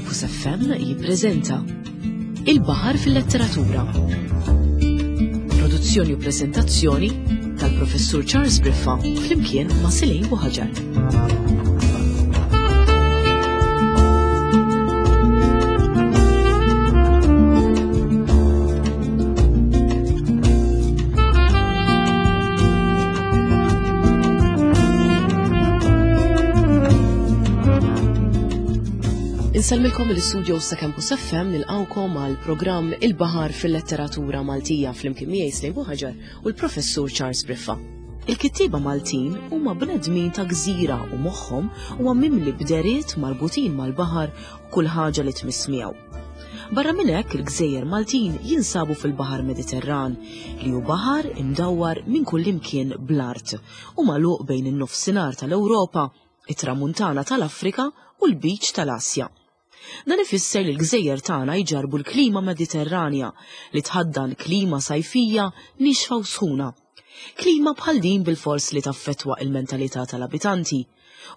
Campus FM jippreżenta Il-Baħar fil-Letteratura. Produzzjoni u preżentazzjoni tal-Professur Charles Briffa flimkien ma' Silej Buħaġar. Insellmilkom mill-istudios ta' Campus FM nilqawkom għal programm Il-Baħar fil-Letteratura Maltija flimkien miegħi Slejn Buħaġar u l-Professur Charles Briffa. Il-kittieba Maltin huma bnedmin ta' gżira u moħħhom huwa mimli bderiet marbutin mal-baħar u kull ħaġa li tmiss miegħu. Barra minn hekk il-gżejjer Maltin jinsabu fil-Baħar Mediterran, li hu baħar imdawwar minn kullimkien bl-art u magħluq bejn in-Nofsinhar tal-Ewropa, it-Tramuntana tal-Afrika u l-Lbiċ tal-Asja. Dan ifisser li l-gżejjer tagħna jġarrbu l-klima Mediterranja li tħaddan klima sajfija niexfa u sħuna. Klima bħal din bilfors li taffettwa il-mentalità tal-abitanti.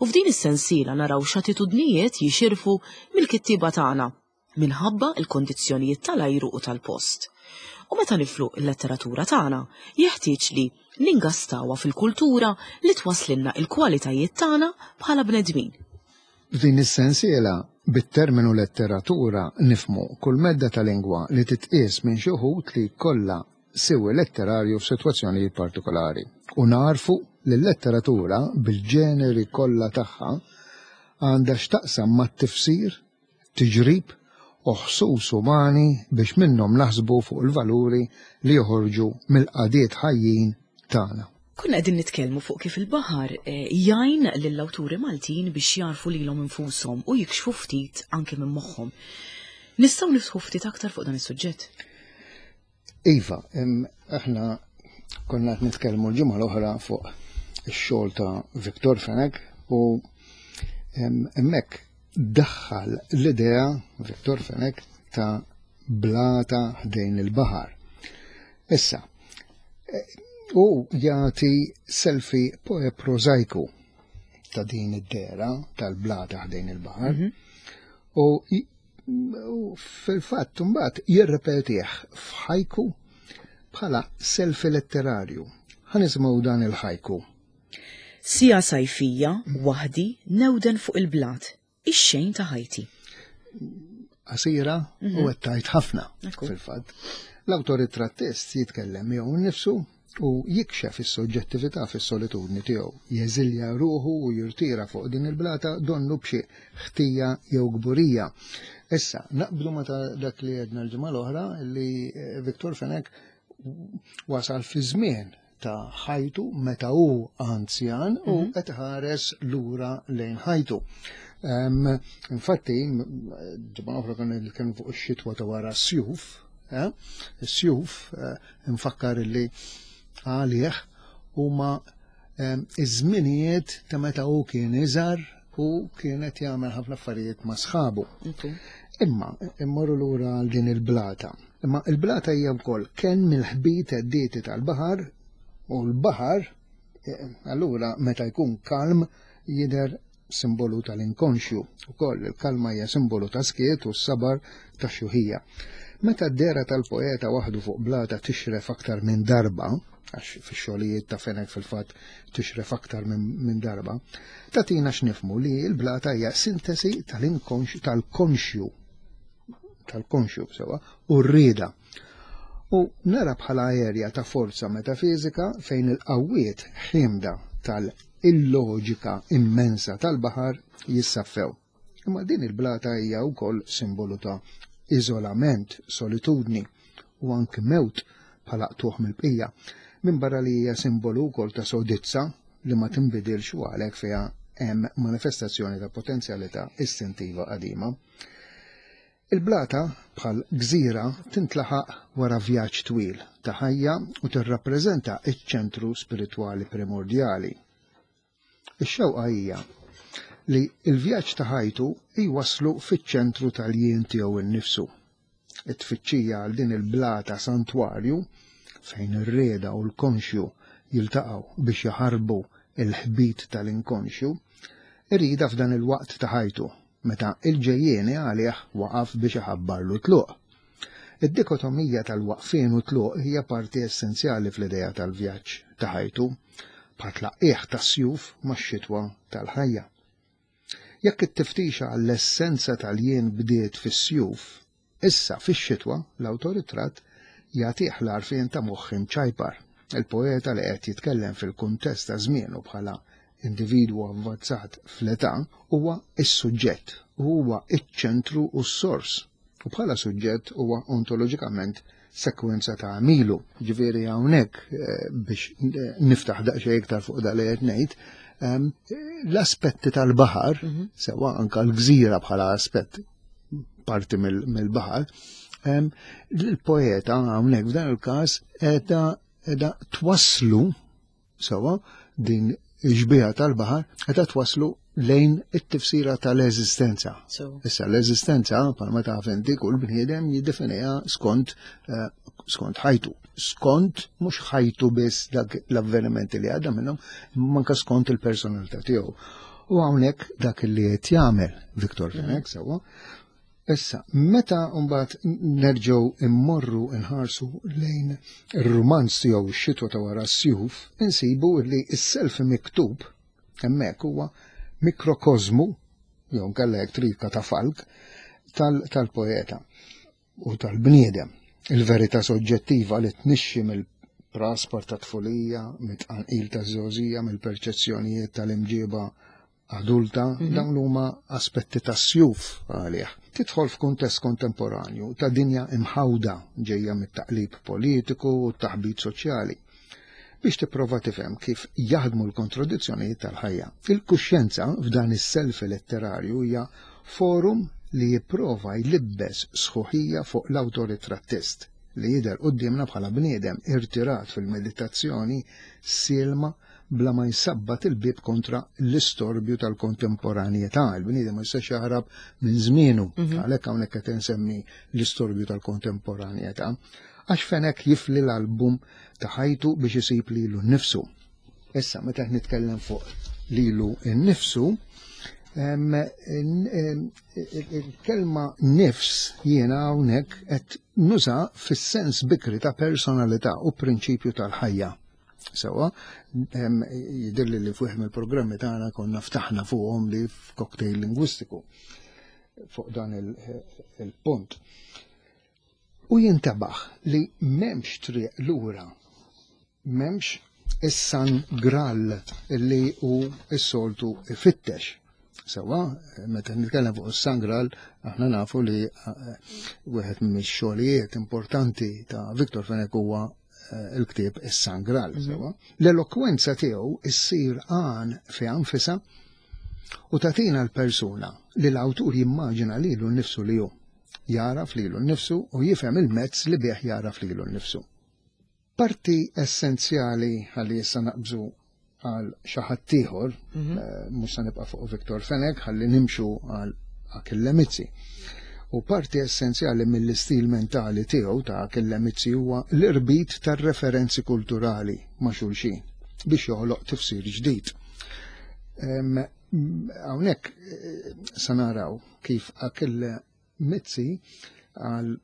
U f'din is-sensiela naraw x'attitudnijiet jixirfu mill-kittieba tagħna minħabba l-kondizzjonijiet tal-ajru u tal-post. U meta niflu l-letteratura tagħna, jeħtieġ li ningastawha fil-kultura li twasslilna l-kwalitajiet tagħna bħala bnedmin. F'din is-sensiela, bit-terminu letteratura nifhmu kull medda ta' lingwa li titqies minn xi wħud li jkollha siwi letterarju f'sitwazzjonijiet partikolari u nagħrfu li l-letteratura bil-ġeneri kollha tagħha għandha x'taqsam mat-tifsir, tiġrib u ħsus umani biex minnhom naħsbu fuq il-valuri li joħorġu mill-qagħdiet ħajjin tagħna. Konna qegħdin nitkellmu fuq kif il-baħar eh, jgħin lill-awturi Maltin biex jagħrfu lilhom infushom u jikxfu ftit anke minn moħħhom. Nistgħu niftħu ftit aktar fuq dan is-suġġett? Iva, aħna konna qed nitkellmu l-ġimgħa l-oħra fuq ix-xogħol ta' Victor Fenech u hemmhekk daħħal l-idea Victor Fenech ta' blata ħdejn il-baħar. Issa, e, u jagħti selfie prożajku ta' din id-dera tal-blata ħdejn il-baħar mhm. u U fil-fatt mbagħad jirrepetih f'ħajku bħala selfi letterarju. Ħa nisimgħu dan il-ħajku. Sija sajfija, waħdi, newden fuq il-blat, ix-xejn ta' ħajti. Qasira u mhm. qed tgħid ħafna fil-fatt. L-awtoritrattist jitkellem miegħu nnifsu u jikxef is-soġġettività fis-solitudni tiegħu, jeżilja ruħu u jirtira fuq din il-blata donnu b'xi ħtija jew kburija. Issa, naqblu ma ta' dak li għedna l-ġimgħa l-oħra li eh, Viktor Fenech wasal fi żmien ta' ħajtu meta hu anzjan u mhm. qed ħares lura lejn ħajtu. Infatti, ġimgħa oħra kan nitkellmu fuq ix-xitwa ta' wara s-sjuf, eh, is-sjuf eh, Infakkar li għalih huma ehm, iż-żminijiet ta' meta hu kien iżgħar u kienet jagħmel ħafna affarijiet ma' sħabu. Imma immorru lura għal din il-blata. Imma il-blata hija wkoll kenn mill-ħbit għeddieti tal-baħar u l-baħar eh, allura meta jkun kalm jidher simbolu tal-inkonxju. Ukoll il-kalma hija simbolu ta' skiet u s-sabar ta' xjuħija. Meta d-dehra tal-poeta waħdu fuq blata tixref aktar minn darba, għax fix-xogħlijiet ta' Fenech fil-fatt tixref aktar minn darba, tagħtina x'nifhmu li l-blata hija sintesi tal-inkonxju tal-konxju tal-konxju sewa u r-rieda. U nara bħala erja ta' forza metafiżika fejn il-qawwiet ħiemda tal-illoġika immensa tal-baħar jissaffew. Imma din il-blata hija wkoll simbolu ta' iżolament, solitudni u anki mewt bħala qtugħ mill-bqija, minbarra li hija simbolu wkoll ta' sodizza li ma tinbidilx u għalhekk fiha hemm manifestazzjoni ta' potenzjalità istintiva qadima. Il-blata, bħal gżira, tintlaħaq wara vjaġġ twil ta' ħajja u tirrappreżenta ċ-ċentru spiritwali primordjali. Ix-xewqa hija li l-vjaġġ ta' ħajtu jwasslu fiċ-ċentru tal-jien tiegħu nnifsu. It-tfittxija għal din il-blata santwarju, fejn ir-rieda u l-konxju jiltaqgħu biex jaħarbu l-ħbit tal-inkonxju, iridha f'dan il-waqt ta' ħajtu. meta il-ġejjieni għalih waqaf biex iħabbarlu tluq. Id-dikotomija tal-waqfien u tluq hija parti essenzjali fl-idea tal-vjaġġ ta' ħajtu, bħat-tlaqqigħ tas-sjuf max-xitwa tal-ħajja. Jekk it-tiftixa għall-essenza tal-jien bdiet fis-sjuf, issa fix-xitwa l-awtoritratt jagħtih l-għarfien ta' moħħ imċajpar. Il-poeta li qed jitkellem fil-kuntest ta' żmienu bħala individwu avvanzat fl-età huwa s-suġġett u huwa ċ-ċentru u s-sors. U bħala suġġett huwa ontoloġikament sekwenza ta' għamilu. Ġifieri hawnhekk eh, biex eh, niftaħ daqsxejn iktar fuq dak li qed ngħid, ehm, l-aspetti tal-baħar, mhm. sewa anka l-gżira bħala aspett parti mill-baħar, ehm, l-poeta hawnhekk f'dan il-każ qiegħda twasslu Sewwa, din ix-xbieha tal-baħar qed twasslu lejn it-tifsira tal-eżistenza. Issa l-eżistenza, bħalma taf inti, kull bniedem jiddefiniha skont eh, skont ħajtu. Skont mhux ħajtu biss dak l-avvenimenti li għadda minnhom, imma anke skont il-personalità tiegħu. U hawnhekk dak li qed jagħmel Victor Fenech sewwa, Issa, meta mbagħad nerġgħu immorru nħarsu lejn ir-rumanz tiegħu x-xitwa ta' wara s-sjuf, insibu li s-self miktub hemmhekk huwa mikrokożmu jew nkella jekk trid katafalk tal-poeta u tal-bniedem. Il-verità soġġettiva li tnixxi mill-praspar ta' tfulija, mit-tqanqil taż-żgħożija, mill-perċezzjonijiet tal-imġiba adulta, mhm. dawn huma aspetti ta' sjuf għalih. Tidħol f'kuntest kontemporanju ta' dinja imħawda ġejja mit-taqlib politiku u t-taħbit soċjali biex tipprova tifhem kif jaħdmu l-kontradizzjonijiet tal-ħajja. Il-kuxjenza f'dan is-self letterarju hija forum li jipprova jlibbes sħuħija fuq l-awtoritrattist li jidher quddiemna bħala bniedem irtirat fil-meditazzjoni silma bla ma jsabbat il-bieb kontra l-istorbju tal-kontemporanjetà. Il-bniedem ma jistax jaħrab minn żmienu, mhm. għalhekk hawnhekk qed insemmi l-istorbju tal-kontemporanjetà, għax Fenek jifli l-album ta' ħajtu biex isib lilu nnifsu. Issa, meta qed nitkellem fuq lilu nnifsu, il-kelma nifs jiena hawnhekk qed nuża fis-sens bikri ta' personalità u prinċipju tal-ħajja. Sewa, jidirli li fuq mill-programmi tagħna konna ftaħna fuqhom li f'cocktail lingwistiku fuq dan il-punt. U jintabaħ li memx triq lura, memx is-San Graal li hu s-soltu ifittex. Sewa, meta nitkellem fuq is-San Graal, aħna nafu li eh, wieħed mix-xogħlijiet importanti ta' Victor Fenech huwa eh, il-ktieb is-San Graal. Mhm. Sewa. L-elokwenza tiegħu issir għan fi anfisha u tagħtina l-persuna li l-awtur jimmaġina lilu nnifsu li hu. Jaraf lilu nnifsu u jifhem il-mezz li bih jaraf lilu nnifsu. Parti essenzjali ħalli issa naqbżu għal xi ħadd ieħor, mhm. eh, mhux se nibqa' fuq Viktor Fenech, ħalli nimxu għal Achille Mizzi. U parti essenzjali mill-istil mentali tiegħu ta' Achille Mizzi huwa l-irbit tar-referenzi kulturali ma' xulxin biex joħloq tifsir ġdid. Hawnhekk eh, se naraw kif Achille Mizzi għal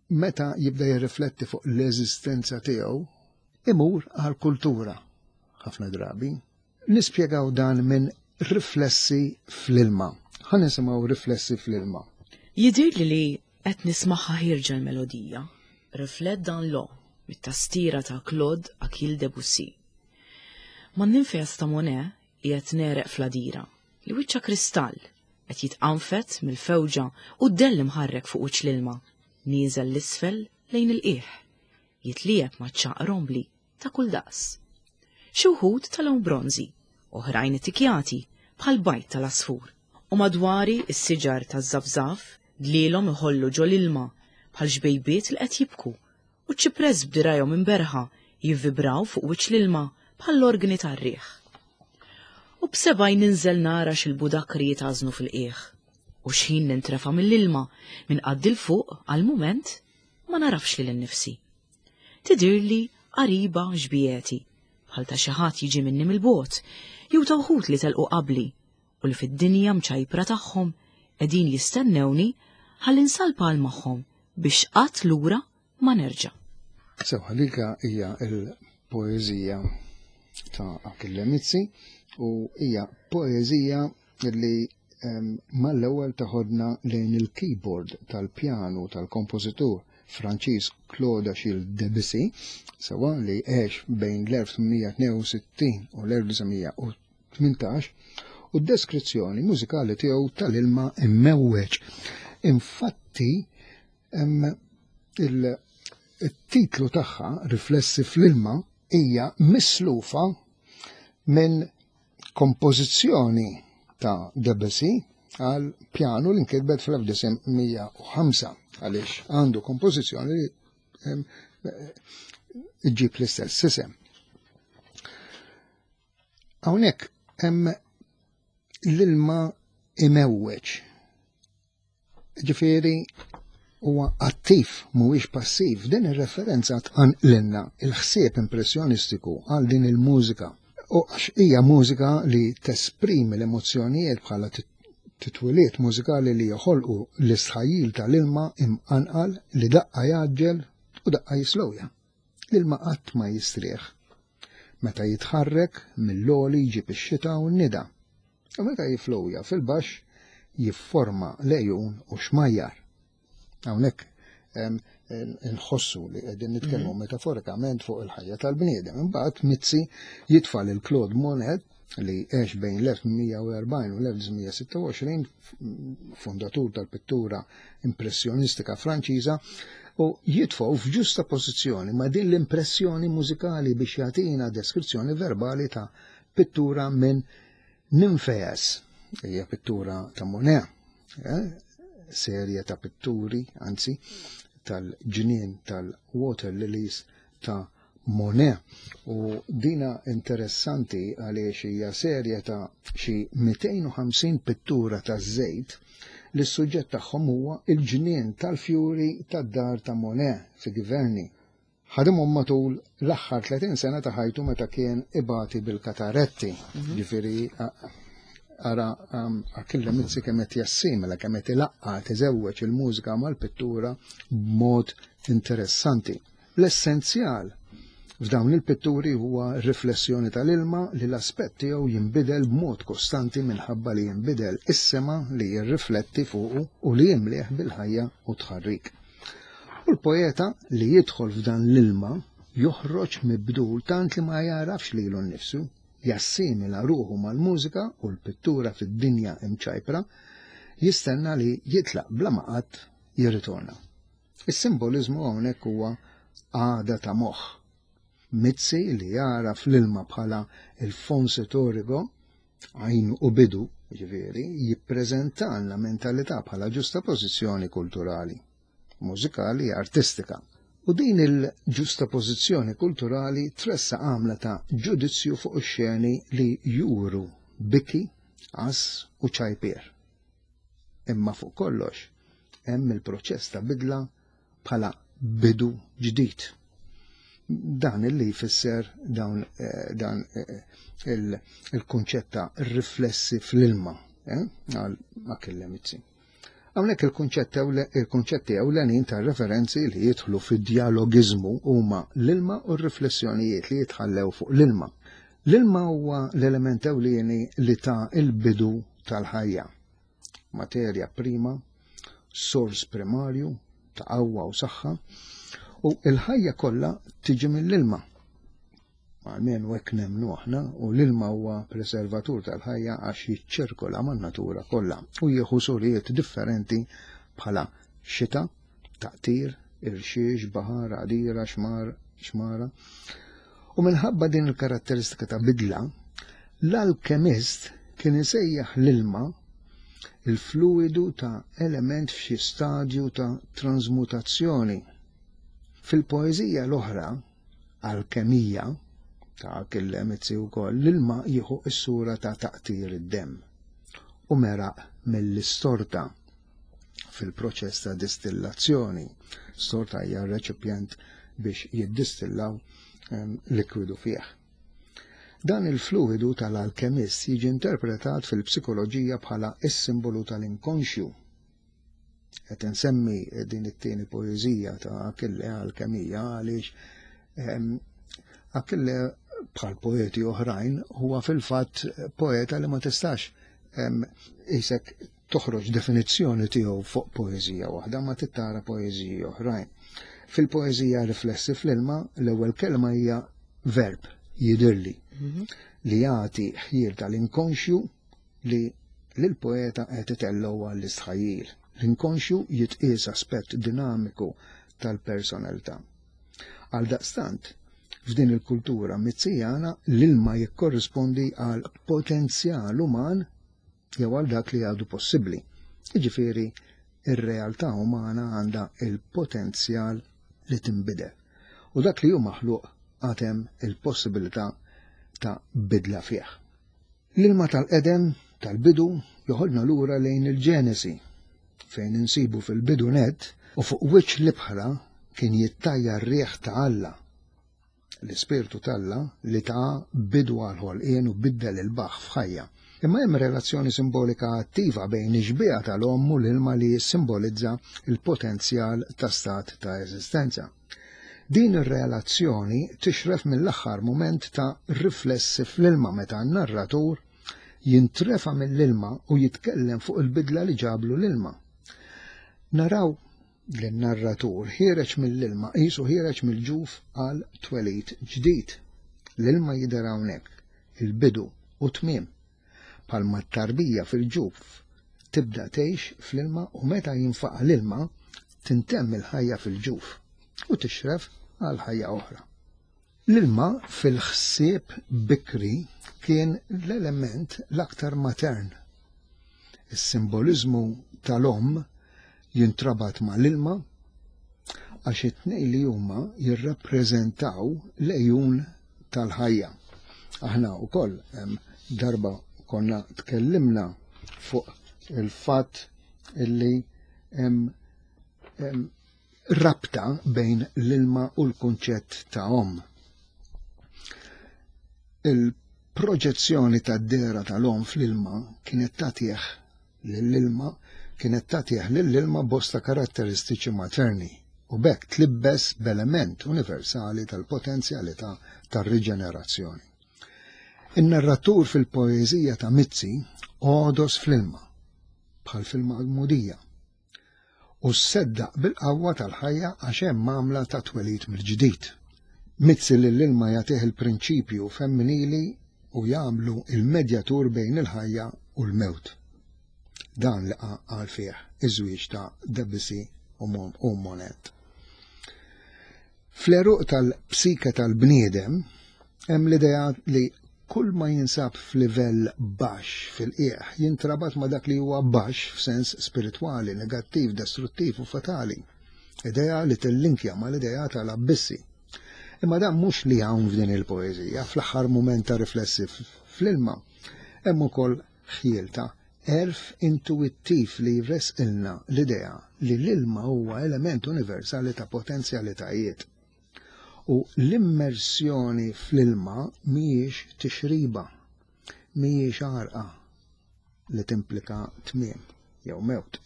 meta jibda jirrifletti fuq l-eżistenza tiegħu, imur għal kultura ħafna drabi. Nispjegaw dan minn riflessi fl-ilma. Ħa nisimgħu riflessi fl-ilma. Jidhirli li qed nismagħha ħierġa l-melodija, Reflet dans l'eau, mit-tastiera ta' Claude Achille Debussy. Man-ninfeas ta' Monet qiegħed negħreq fl-għadira, li wiċċha kristall, qed jitqanfed mill-fewġa u d-dell imħarrek fuq wiċċ l-ilma, nieżel 'l isfel lejn il-qiegħ, jitliegħeb ma' ċagħaq rombli ta' kull daqs. Xi wħud ta' lewn bronżi, oħrajn ittikjati bħal bajd tal-għasfur. U madwari s-siġar taż-żafżaf dlielhom iħollu ġol-ilma bħal xbejbiet li qed jibku u ċ-ċipress b'dirgħajhom imberrħa jivvibraw fuq wiċċ l-ilma bħall-organi tar-riħ. U b'sebgħi ninżel nara x'il-budakri jitgħażnu fil-qiegħ. U x'ħin nintrefa' mill-ilma minn qaddi 'l fuq għal mument ma nagħrafx lili nnifsi. Tidhirli qariba xbiegħti, bħal ta' xi ħadd jiġi minni mill-bogħod, jew ta' wħud li telqu qabli u li fid-dinja mċajpra tagħhom Qegħdin jistennewni ħalli nsalpa għal magħhom biex qatt lura ma nerġa'. Sewwa dika hija l-poeżija ta' Achille Mizzi u hija poeżija li mal-ewwel taħodna lejn il-keyboard tal-pjanu tal-kompożitur Franċiż Claude Achille Debussy, sewwa li għex bejn l-1862 u l-1918, u d-deskrizzjoni mużikali tiegħu tal-ilma immewweġ. Infatti, il-titlu tagħha, Riflessi fl-ilma, hija mislufa minn kompożizzjoni ta' Debussy għal pjanu li nkitbet fl-1905 għaliex għandu kompożizzjoni li ġib l-istess isem. Hawnhekk hemm l-ilma imewweġ. Ġifieri huwa attiv mhuwiex passiv. Din ir-referenza tqanqlilna il-ħsieb impressjonistiku għal din il-mużika. U għax hija mużika li tesprimi l-emozzjonijiet bħala titwiliet mużikali li joħolqu l-istħajjil tal-ilma imqanqal li daqqa jgħaġġel u daqqa jislowja. L-ilma qatt ma jistrieħ. Meta jitħarrek mill-għoli jġib ix-xita u n-nida. U meta jiflowja fil-baxx jifforma lejun u xmajjar. Hawnhekk nħossu li qegħdin nitkellmu mhm. metaforikament fuq il-ħajja tal-bniedem. Imbagħad Mizzi jitfa' lil Claude Monet li għex bejn l-1840 u l-1926, fundatur tal-pittura impressjonistika Franċiża, u jitfgħu f'ġusta pożizzjoni ma' din l-impressjoni mużikali biex jagħtina deskrizzjoni verbali ta' pittura minn Nymphaeas, hija pittura ta' Monet, eh, serje ta' pitturi, anzi, tal-ġnien tal-Water Lilies ta' Monet. U dina interessanti għaliex hija serje ta' xi 250 pittura ta' żejt li s-suġġett tagħhom huwa il-ġnien tal-fjuri tad-dar ta' Monet fi Giverny. Ħadimhom matul l-aħħar 30 sena ta' ħajtu meta kien ibati bil-kataretti. Mhm. Ġifieri ara Achille Mizzi kemm qed jassimila kemm qed ilaqqa tiżewweġ il-mużika mal-pittura b'mod interessanti. L-essenzjal f'dawn il-pitturi huwa r-riflessjoni tal-ilma li l-aspett tiegħu jinbidel b'mod kostanti minħabba li jinbidel is-sema li jirrifletti fuqu u li jimlieh bil-ħajja u t-tħarrik. U l-poeta li jidħol f'dan l-ilma joħroġ mibdul tant li ma jagħrafx lilu nnifsu, jassimila ruħu mal-mużika u l-pittura fid-dinja imċajpra, jistenna li jitlaq bla ma qatt jirritorna. Is-simboliżmu hawnhekk huwa għada ta' moħħ. Mizzi li jara fl-ilma bħala il-fons etorigo, għajn u bidu, ġifieri, jippreżentalna mentalità bħala ġusta pożizzjoni kulturali, mużikali, artistika. U din il-ġusta pożizzjoni kulturali tressa għamla ta' ġudizzju fuq ix-xeni li juru biki, għas u ċajpier. Imma fuq kollox, hemm il-proċess ta' bidla bħala bidu ġdid. Dan illi jfisser dawn eh, dan eh, il-kunċett ta' riflessi fl-ilma eh, għal Achille Mizzi. Hawnhekk il-kunċetti ewlenin ta' referenzi li jidħlu fid-dialogiżmu huma l-ilma u r-riflessjonijiet li jitħallew fuq l-ilma. L-ilma huwa l-element ewlieni li ta' il-bidu tal-ħajja. Materja prima, sors primarju ta' qawwa u saħħa, u l-ħajja kollha tiġi mill-ilma. Almenu hekk nemmnu aħna, u l-ilma huwa preservatur tal-ħajja għax jiċċirkola man-natura kollha u jieħu suriet differenti bħala xita, taqtir, irxiex, baħar, għadira, xmar, xmara. U minħabba din il-karatteristika ta' bidla, l-alkemist kien isejjaħ l-ilma il-fluidu ta' element f'xi stadju ta' transmutazzjoni. Fil-poeżija l-oħra, Alkemija, ta' Achille Mizzi wkoll, l-ilma jieħu s-sura ta' taqtir id-demm u meraq mill-istorta fil-proċess ta' distillazzjoni. Storta hija reċipjent biex jiddistillaw ehm, likwidu fih. Dan il-fluidu tal-alkemist jiġi interpretat fil-psikoloġija bħala is-simbolu tal-inkonxju. Qed insemmi din it-tieni poeżija ta' Achille Alkemija għaliex ehm, Achille bħal poeti oħrajn huwa fil-fatt poeta li ma tistax ehm, isek toħroġ definizzjoni tiegħu fuq poeżija waħda ma tittara poeżiji oħrajn. Fil-poeżija Riflessi fl-ilma l-ewwel kelma hija verb jidirli mhm. li jagħti ħjiel tal-inkonxju li lill-poeta qed itellgħu għall-istħajjil. L-inkonxju jitqies aspett dinamiku tal-personalità. Għaldaqstant, f'din il-kultura mizzijana l-ilma jikkorrispondi għal potenzjal uman jew għal dak li għadu possibbli. Jiġifieri, ir-realtà umana għandha il-potenzjal li tinbidel. U dak li hu maħluq għad hemm il-possibilità ta' bidla fih. L-ilma tal-qedem tal-bidu joħodna lura lejn il-Ġenesi, fejn insibu fil-bidu nett u fuq wiċċ l-ibħra kien jittajjar riħ ta' Alla l-Ispirtu t'Alla li ta bidu għall-ħolqien u biddel il-baħħ f'ħajja. Imma hemm relazzjoni simbolika attiva bejn ix-xbieha tal-omm u l-ilma li jissimbolizza l-potenzjal ta' stat ta' eżistenza. Din ir-relazzjoni tixref mill-aħħar mument ta' riflessi fl-ilma meta n-narratur jintrefa' mill-ilma u jitkellem fuq il-bidla li ġablu l-ilma. Naraw Lin-narratur ħiereġ mill-ilma qisu ħiereġ mill-ġuf għal twelid ġdid. L-ilma jidher hawnhekk, il-bidu u t-tmiem. Bħalma t-tarbija fil-ġuf tibda tgħix fl-ilma u meta jinfaqa' l-ilma tintemm il-ħajja fil-ġuf u tixref għal ħajja oħra. L-ilma fil-ħsieb bikri kien l-element l-aktar matern. Is-simboliżmu tal-omm jintrabat mal-ilma għax it-tnejn li huma jirrappreżentaw l-għejun tal-ħajja. Aħna wkoll darba konna tkellimna fuq il-fatt illi hemm rabta bejn l-ilma u l-kunċett ta' omm. Il-proġezzjoni tad-dehra tal-omm fl-ilma kienet tagħtih lill-ilma kienet tagħtih lill-ilma bosta karatteristiċi materni u b'hekk tlibbes b'element universali tal-potenzjalità tar-riġenerazzjoni. In-narratur fil-poeżija ta' Mizzi għodos fl-ilma, bħal fil-magħmudija, u sseddaq bil-qawwa tal-ħajja għax hemm għamla ta' twelid mill-ġdid. Mizzi lill-ilma jagħtih il-prinċipju femminili u jagħmlu il-medjatur bejn il-ħajja u l-mewt. Dan li qal fih iż-żwieġ ta' Debussy u Monet. Fl-għeruq tal-psike tal-bniedem hemm l-idea li kull ma jinsab f'livell baxx fil-qiegħ jintrabat ma' dak li huwa baxx f'sens spiritwali, negattiv, destruttiv u fatali. Idea li tillinkja mal-idea tal-abbissi. Imma dan mhux li hawn f'din il-poeżija, fl-aħħar mument ta' riflessi fl-ilma, hemm ukoll ħjiel ta' għerf intuwittiv li jressqilna l-idea li l-ilma huwa element universali ta' potenzjalitajiet. U l-immersjoni fl-ilma mhijiex tixriba, mhijiex għarqa li timplika tmiem jew mewt,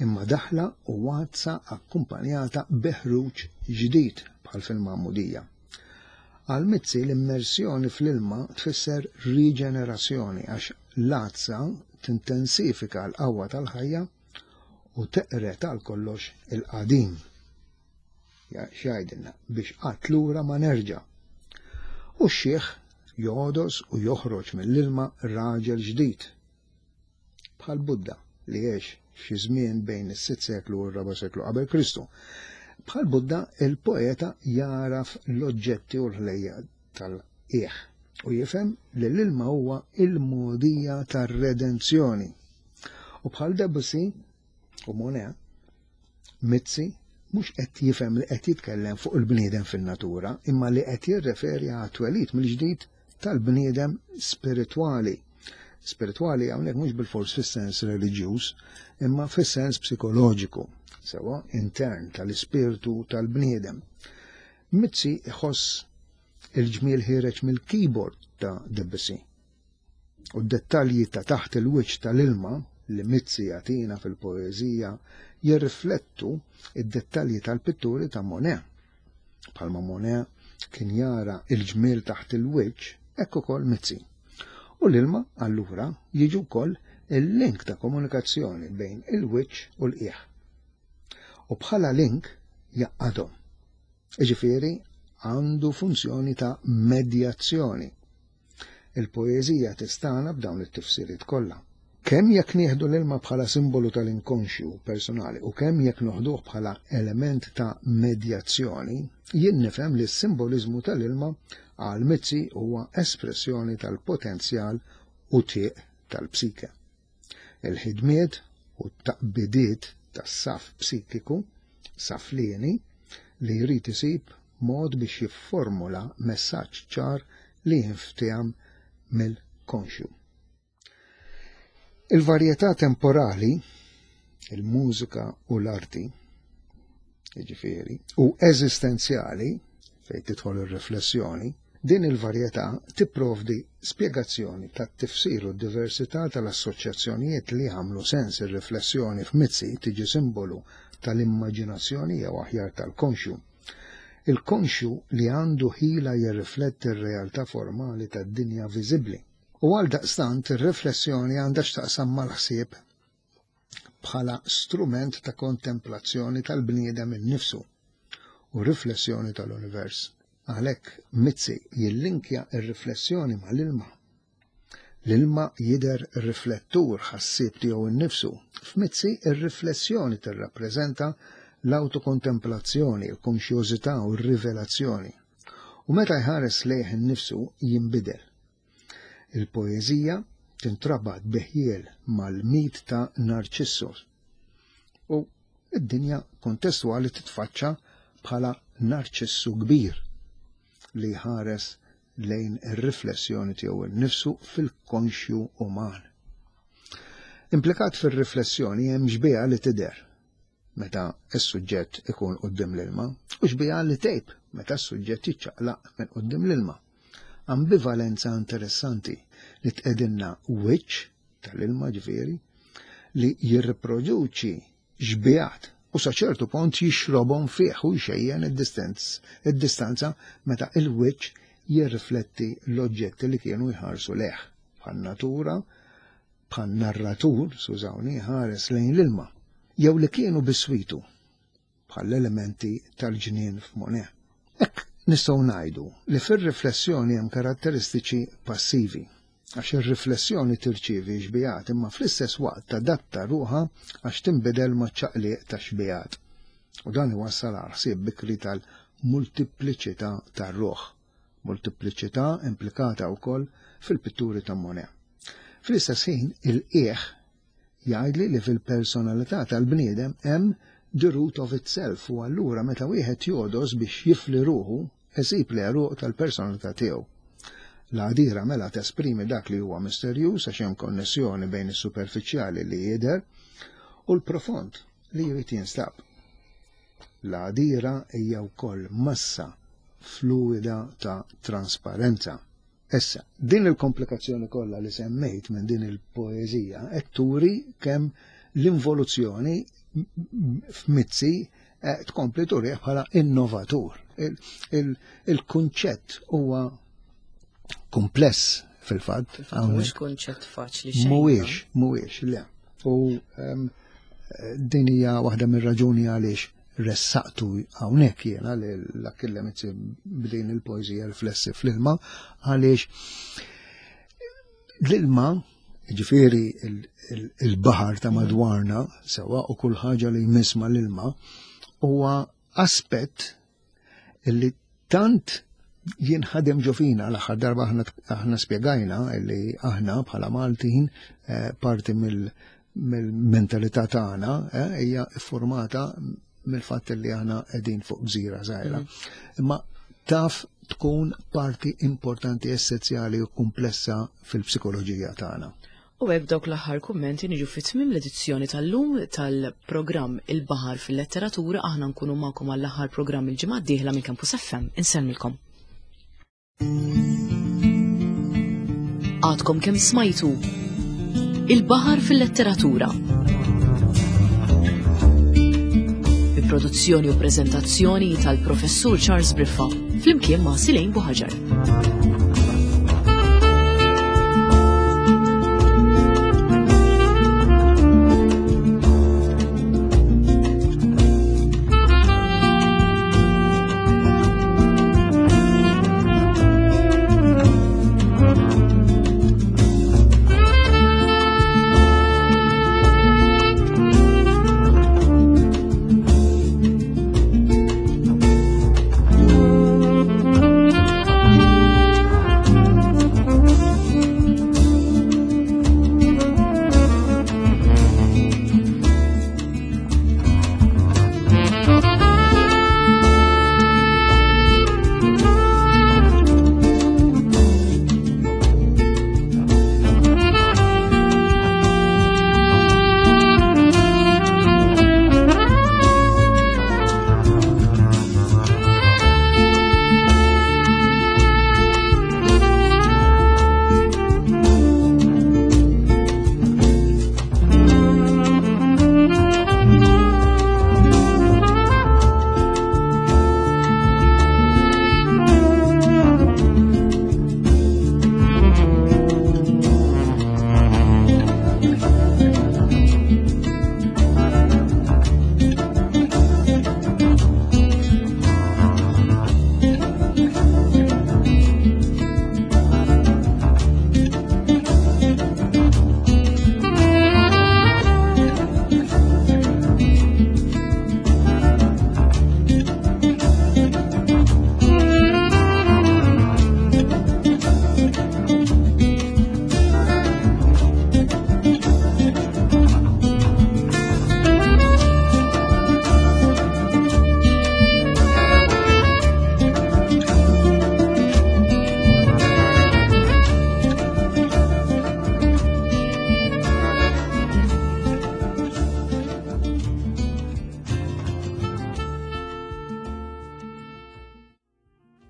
imma daħla u għadsa akkumpanjata bi ħruġ ġdid bħal fil-magħmudija. Għal Mizzi l-immersjoni fl-ilma tfisser riġenerazzjoni għax l-għadsa tintensifika l-qawwa tal-ħajja u teqred għal kollox il-qadim. X'jgħidilna biex qatt lura ma nerġa'. U x-xiħ jogħdos u joħroġ mill-ilma raġel ġdid. Bħal Buddha li għex f'xi żmien bejn is-sitt seklu u r-raba' seklu qabel Kristu. Bħal Buddha, il-poeta jagħraf l-oġġetti u l-ħlejjaq tal-qiegħ u jifhem li l-ilma huwa il-mogħdija tar-redenzjoni. U bħal Debussy u Monet, Mizzi mhux qed jifhem li qed jitkellem fuq il-bniedem fin-natura, imma li qed jirreferi għat-twelid mill-ġdid tal-bniedem spiritwali. Spiritwali hawnhekk mhux bilfors fis-sens reliġjuż, imma fis-sens psikoloġiku, sewwa intern tal-ispirtu tal-bniedem. Mizzi iħoss Il-ġmiel ħiereġ mill-keyboard ta' Debussy. U d-dettalji ta' taħt il-wiċċ tal-ilma li Mizzi jagħtina fil-poeżija jirriflettu id-dettalji tal-pitturi ta' Monet. Bħalma Monet kien jara il-ġmiel taħt il-wiċċ, hekk ukoll Mizzi. U l-ilma allura jiġu wkoll il-link ta' komunikazzjoni bejn il-wiċċ u l-qiegħ. U bħala link jaqadhom. Jiġifieri għandu funzjoni ta' medjazzjoni. Il-poeżija tistana b'dawn it-tifsiriet kollha. Kemm jekk nieħdu l-ilma bħala simbolu tal-inkonxju personali u kemm jekk noħduh bħala element ta' medjazzjoni, jien nifhem li s-simboliżmu tal-ilma għal Mizzi huwa espressjoni tal-potenzjal u tieq tal-psike. Il-ħidmiet u t-taqbidiet tas-saf psikiku, saflieni, li jrid isib mod biex jifformula messaġġ ċar li jinftiehem mill-konxju. Il-varjetà temporali, il-mużika u l-arti, jiġifieri, u eżistenzjali, fejn tidħol ir-riflessjoni, din il-varjetà tipprovdi spjegazzjoni tat-tifsir u d-diversità tal-assoċjazzjonijiet li jagħmlu sens. Ir-riflessjoni f'Mizzi tiġi simbolu tal-immaġinazzjoni jew aħjar tal-konxju. Il-konxju li għandu ħila jirrifletti r-realtà formali tad-dinja viżibbli. U għaldaqstant ir-riflessjoni għandha x'taqsam mal-ħsieb bħala strument ta' kontemplazzjoni tal-bniedem innifsu u riflessjoni tal-univers. Għalhekk Mizzi jillinkja r-riflessjoni mal-ilma. L-ilma jidher riflettur ħassieb tiegħu nnifsu. F'Mizzi r-riflessjoni tirrappreżenta l-awtokontemplazzjoni, il-konxjożità u r-rivelazzjoni. U meta jħares lejh innifsu jinbidel. Il-poeżija tintrabat bi ħjiel mal-mit ta' Narcissus u d-dinja kontestwali titfaċċa bħala Narċissu kbir li jħares lejn ir-riflessjoni tiegħu nnifsu fil-konxju uman. Implikat fir-riflessjoni hemm xbieha li tidher meta s-suġġett ikun quddiem l-ilma u xbieha li tgħib meta s-suġġett jiċċaqlaq minn quddiem l-ilma. Ambivalenza interessanti li tqegħdilna wiċċ tal-ilma ġifieri li jirriproduċi xbihat u sa ċertu punt jixrobhom fih u jxejjen id-distanza meta il-wiċċ jirrifletti l-oġġetti li kienu jħarsu lejh bħal natura bħal narratur, skużawni, ħares lejn l-ilma, jew li kienu biswitu bħall-elementi tal-ġnien f'Monet. Hekk nistgħu ngħidu li fir-riflessjoni hemm karatteristiċi passivi, għax ir-riflessjoni tirċievi xbihat imma fl-istess waqt tadatta ruħha għax tinbidel maċ-ċaqliq tax-xbihat. U dan iwassal għal ħsieb bikri tal-multipliċità tar-ruħ, multipliċità implikata wkoll fil-pitturi ta' Monet. Fl-istess ħin, il-qiegħ jgħidli li fil-personalità tal-bniedem hemm the root of itself u allura meta wieħed jogħdos biex jifli ruħu, isib l-għeruq tal-personalità tiegħu. L-għadira mela tesprimi dak li huwa misterjuż għax hemm konnessjoni bejn is-superfiċjali li jidher u l-profond li jrid jinstab. L-għadira hija wkoll massa fluwida ta' trasparenza. Issa, din il-komplikazzjoni kollha li semmejt minn din il-poeżija qed turi kemm l-involuzzjoni f'Mizzi eh, tkompli turih bħala innovatur. Il-kunċett huwa kumpless fil-fatt. Mhux kunċett faċli xejn. Mhuwiex, mhuwiex, le. U ehm, din hija waħda mir-raġuni għaliex ressaqtu hawnhekk jiena li l-Achille Mizzi b'din il-poeżija riflessi fl-ilma għaliex l-ilma ġifieri il-baħar ta' madwarna sewa u kull ħaġa li jmiss mal-ilma huwa aspett illi tant jinħadem ġo fina l-aħħar darba aħna spjegajna li aħna bħala Maltin eh, parti mill-mentalità tagħna eh, hija formata mill-fatt li aħna qegħdin fuq gżira żgħira. Mm. Imma taf tkun parti importanti, essenzjali u komplessa fil-psikoloġija tagħna. U hekk b'dawk l-aħħar kummenti niġu fi tmiem l-edizzjoni tal-lum tal-programm Il-Baħar fil-Letteratura aħna nkunu magħkom għall-aħħar programm il-ġimgħa d-dieħla minn Campus FM. Insellmilkom. Għadkom kemm smajtu Il-Baħar fil-Letteratura. Bi produzzjoni u preżentazzjoni tal-Professur Charles Briffa flimkien ma' Silejn Buħaġar.